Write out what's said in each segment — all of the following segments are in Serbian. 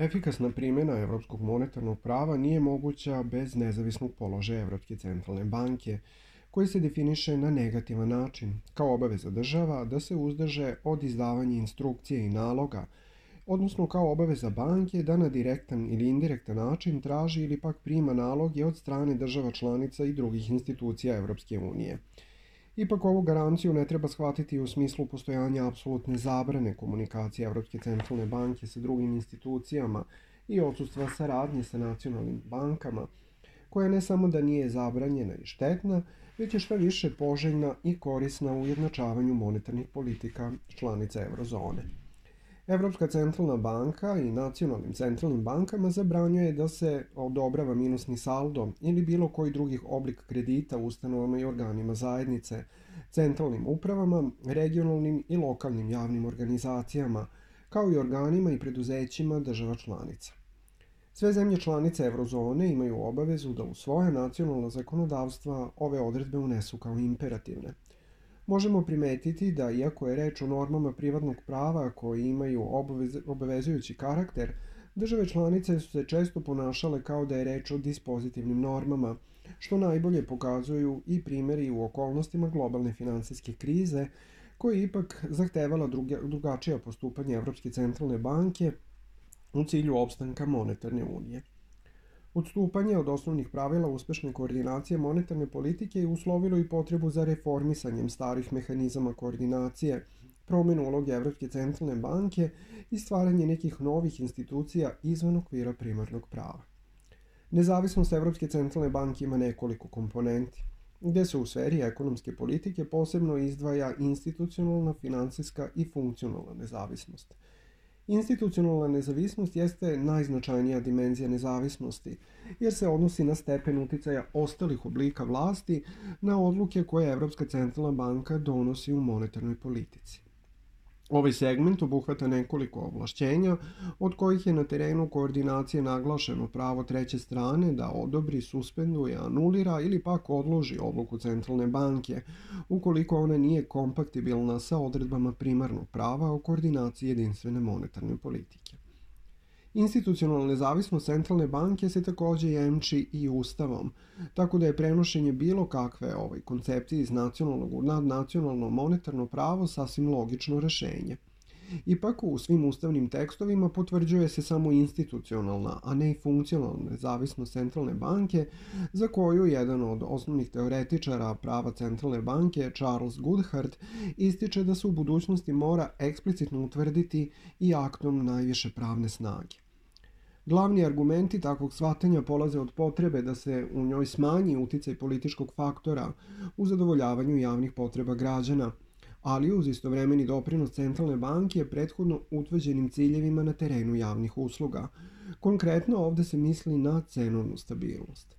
Efikasna primjena evropskog monetarnog prava nije moguća bez nezavisnog položaja Evropske centralne banke, koji se definiše na negativan način, kao obaveza država da se uzdrže od izdavanja instrukcije i naloga, odnosno kao obaveza banke da na direktan ili indirektan način traži ili pak prima naloge od strane država članica i drugih institucija Evropske unije. Ipak ovu garanciju ne treba shvatiti u smislu postojanja apsolutne zabrane komunikacije Evropske centralne banke sa drugim institucijama i odsustva saradnje sa nacionalnim bankama, koja ne samo da nije zabranjena i štetna, već je šta više poželjna i korisna u ujednačavanju monetarnih politika članica eurozone. Evropska centralna banka i nacionalnim centralnim bankama zabranjuje da se odobrava minusni saldo ili bilo koji drugih oblik kredita ustanovama i organima zajednice, centralnim upravama, regionalnim i lokalnim javnim organizacijama, kao i organima i preduzećima država članica. Sve zemlje članice eurozone imaju obavezu da u svoje nacionalna zakonodavstva ove odredbe unesu kao imperativne. Možemo primetiti da, iako je reč o normama privatnog prava koji imaju obavezujući karakter, države članice su se često ponašale kao da je reč o dispozitivnim normama, što najbolje pokazuju i primjeri u okolnostima globalne finansijske krize, koja je ipak zahtevala drugačija postupanja Evropske centralne banke u cilju opstanka monetarne unije. Odstupanje od osnovnih pravila uspešne koordinacije monetarne politike je uslovilo i potrebu za reformisanjem starih mehanizama koordinacije, promjenu uloge Evropske centralne banke i stvaranje nekih novih institucija izvan okvira primarnog prava. Nezavisnost Evropske centralne banke ima nekoliko komponenti, gde se u sferi ekonomske politike posebno izdvaja institucionalna, finansijska i funkcionalna nezavisnost. Institucionalna nezavisnost jeste najznačajnija dimenzija nezavisnosti, jer se odnosi na stepen uticaja ostalih oblika vlasti na odluke koje Evropska centralna banka donosi u monetarnoj politici. Ovaj segment obuhvata nekoliko ovlašćenja, od kojih je na terenu koordinacije naglašeno pravo treće strane da odobri, suspenduje, anulira ili pak odloži odluku centralne banke, ukoliko ona nije kompatibilna sa odredbama primarnog prava o koordinaciji jedinstvene monetarne politike. Institucionalna nezavisnost centralne banke se takođe jemči i ustavom, tako da je prenošenje bilo kakve koncepcije iz nacionalnog u nadnacionalno monetarno pravo sasvim logično rešenje. Ipak, u svim ustavnim tekstovima potvrđuje se samo institucionalna, a ne i funkcionalna nezavisnost centralne banke, za koju jedan od osnovnih teoretičara prava centralne banke, Charles Goodhart, ističe da se u budućnosti mora eksplicitno utvrditi i aktom najviše pravne snage. Glavni argumenti takvog shvatanja polaze od potrebe da se u njoj smanji uticaj političkog faktora u zadovoljavanju javnih potreba građana, ali uz istovremeni doprinos centralne banke prethodno utvrđenim ciljevima na terenu javnih usluga. Konkretno ovde se misli na cenovnu stabilnost.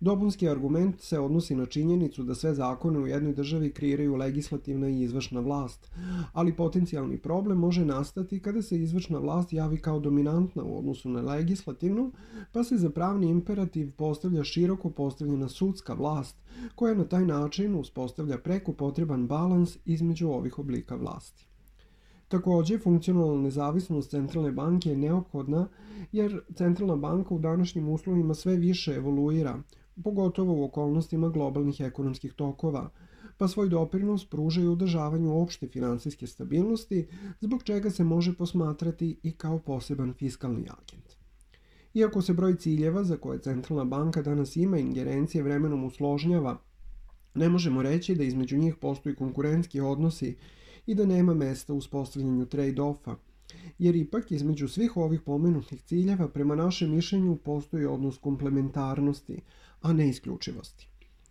Dopunski argument se odnosi na činjenicu da sve zakone u jednoj državi kreiraju legislativna i izvršna vlast, ali potencijalni problem može nastati kada se izvršna vlast javi kao dominantna u odnosu na legislativnu, pa se za pravni imperativ postavlja široko postavljena sudska vlast, koja na taj način uspostavlja preko potreban balans između ovih oblika vlasti. Takođe, funkcionalna nezavisnost centralne banke je neophodna jer centralna banka u današnjim uslovima sve više evoluira, pogotovo u okolnostima globalnih ekonomskih tokova, pa svoj doprinos pruža i održavanju opšte finansijske stabilnosti, zbog čega se može posmatrati i kao poseban fiskalni agent. Iako se broj ciljeva za koje centralna banka danas ima ingerencije vremenom usložnjava, ne možemo reći da između njih postoji konkurentski odnosi i da nema mesta u uspostavljanju trade-offa, jer ipak između svih ovih pomenutih ciljeva prema našem mišljenju postoji odnos komplementarnosti, a ne isključivosti.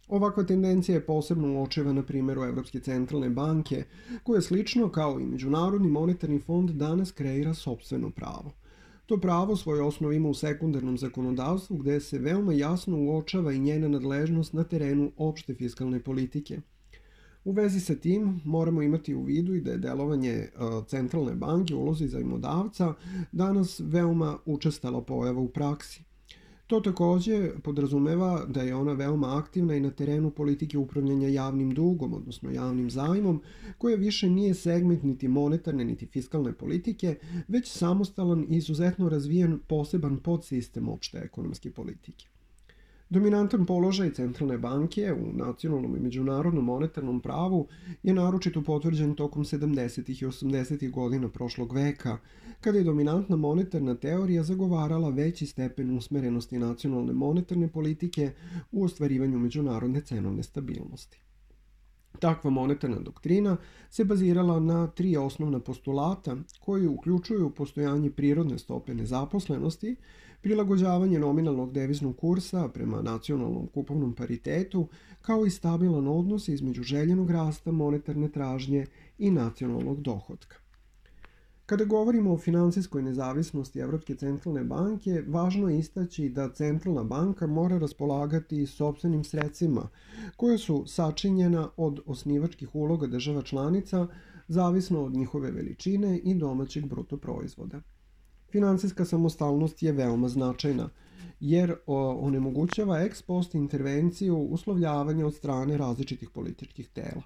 Ovakva tendencija je posebno uočeva na primjeru Evropske centralne banke, koja slično kao i Međunarodni monetarni fond danas kreira sopstveno pravo. To pravo svoju osnovu ima u sekundarnom zakonodavstvu gde se veoma jasno uočava i njena nadležnost na terenu opšte fiskalne politike. U vezi sa tim moramo imati u vidu i da je delovanje centralne banke u ulozi zajmodavca danas veoma učestala pojava u praksi. To takođe podrazumeva da je ona veoma aktivna i na terenu politike upravljanja javnim dugom, odnosno javnim zajmom, koja više nije segment niti monetarne niti fiskalne politike, već samostalan i izuzetno razvijen poseban podsistem opšte ekonomske politike. Dominantan položaj centralne banke u nacionalnom i međunarodnom monetarnom pravu je naročito potvrđen tokom 70. i 80. godina prošlog veka, kada je dominantna monetarna teorija zagovarala veći stepen usmerenosti nacionalne monetarne politike u ostvarivanju međunarodne cenovne stabilnosti. Takva monetarna doktrina se bazirala na 3 osnovna postulata koji uključuju postojanje prirodne stope nezaposlenosti, prilagođavanje nominalnog deviznog kursa prema nacionalnom kupovnom paritetu, kao i stabilan odnos između željenog rasta monetarne tražnje i nacionalnog dohotka. Kada govorimo o finansijskoj nezavisnosti Evropske centralne banke, važno je istaći da centralna banka mora raspolagati sopstvenim sredstvima, koja su sačinjena od osnivačkih uloga država članica, zavisno od njihove veličine i domaćeg bruto proizvoda. Finansijska samostalnost je veoma značajna, jer onemogućava ex post intervenciju uslovljavanja od strane različitih političkih tela.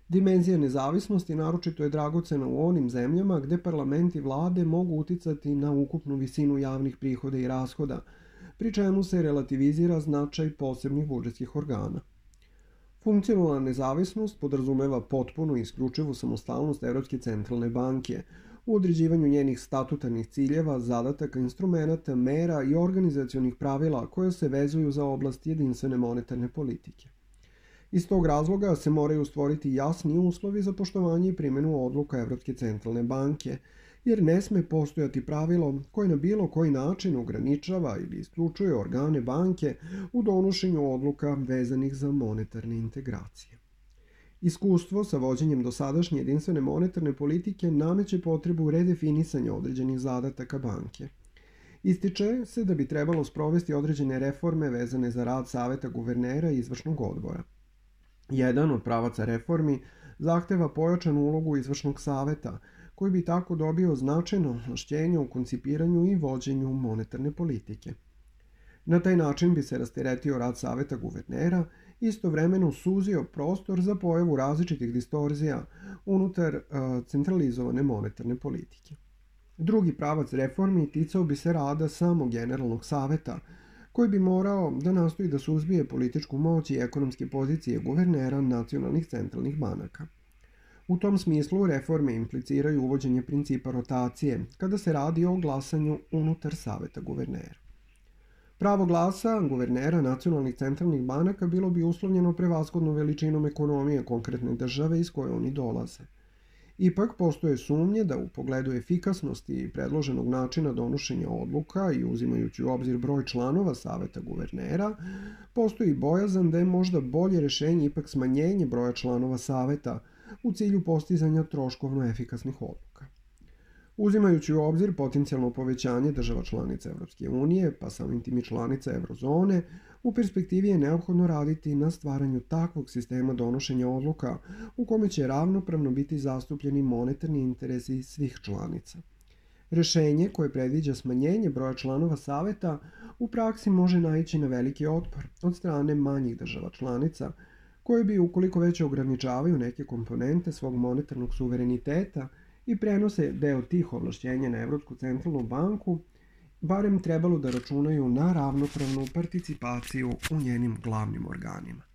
Dimenzija nezavisnosti naročito je dragocena u onim zemljama gde parlament i vlade mogu uticati na ukupnu visinu javnih prihoda i rashoda, pri čemu se relativizira značaj posebnih budžetskih organa. Funkcionalna nezavisnost podrazumeva potpunu i isključivu samostalnost Evropske centralne banke u određivanju njenih statutarnih ciljeva, zadataka, instrumenata, mera i organizacionih pravila koje se vezuju za oblast jedinstvene monetarne politike. Iz tog razloga se moraju stvoriti jasni uslovi za poštovanje i primjenu odluka Evropske centralne banke, jer ne sme postojati pravilo koje na bilo koji način ograničava ili isključuje organe banke u donošenju odluka vezanih za monetarne integracije. Iskustvo sa vođenjem dosadašnje jedinstvene monetarne politike nameće potrebu redefinisanja određenih zadataka banke. Ističe se da bi trebalo sprovesti određene reforme vezane za rad Saveta guvernera i izvršnog odbora. Jedan od pravaca reformi zahteva pojačanu ulogu izvršnog saveta, koji bi tako dobio značajno ovlašćenje u koncipiranju i vođenju monetarne politike. Na taj način bi se rasteretio rad Saveta guvernera i istovremeno suzio prostor za pojavu različitih distorzija unutar centralizovane monetarne politike. Drugi pravac reformi ticao bi se rada samog generalnog saveta, koji bi morao da nastoji da suzbije političku moć i ekonomske pozicije guvernera nacionalnih centralnih banaka. U tom smislu reforme impliciraju uvođenje principa rotacije kada se radi o glasanju unutar Saveta guvernera. Pravo glasa guvernera nacionalnih centralnih banaka bilo bi uslovljeno prevashodno veličinom ekonomije konkretne države iz koje oni dolaze. Ipak postoje sumnje da u pogledu efikasnosti predloženog načina donošenja odluka i uzimajući u obzir broj članova Saveta guvernera, postoji bojazan da je možda bolje rešenje ipak smanjenje broja članova Saveta u cilju postizanja troškovno efikasnih odluka. Uzimajući u obzir potencijalno povećanje država članica Evropske unije, pa samim tim i članica Eurozone, u perspektivi je neophodno raditi na stvaranju takvog sistema donošenja odluka u kome će ravnopravno biti zastupljeni monetarni interesi svih članica. Rešenje koje predviđa smanjenje broja članova Saveta u praksi može naići na veliki otpor od strane manjih država članica, koje bi, ukoliko već ograničavaju neke komponente svog monetarnog suvereniteta i prenose deo tih ovlašćenja na Evropsku centralnu banku, barem trebalo da računaju na ravnopravnu participaciju u njenim glavnim organima.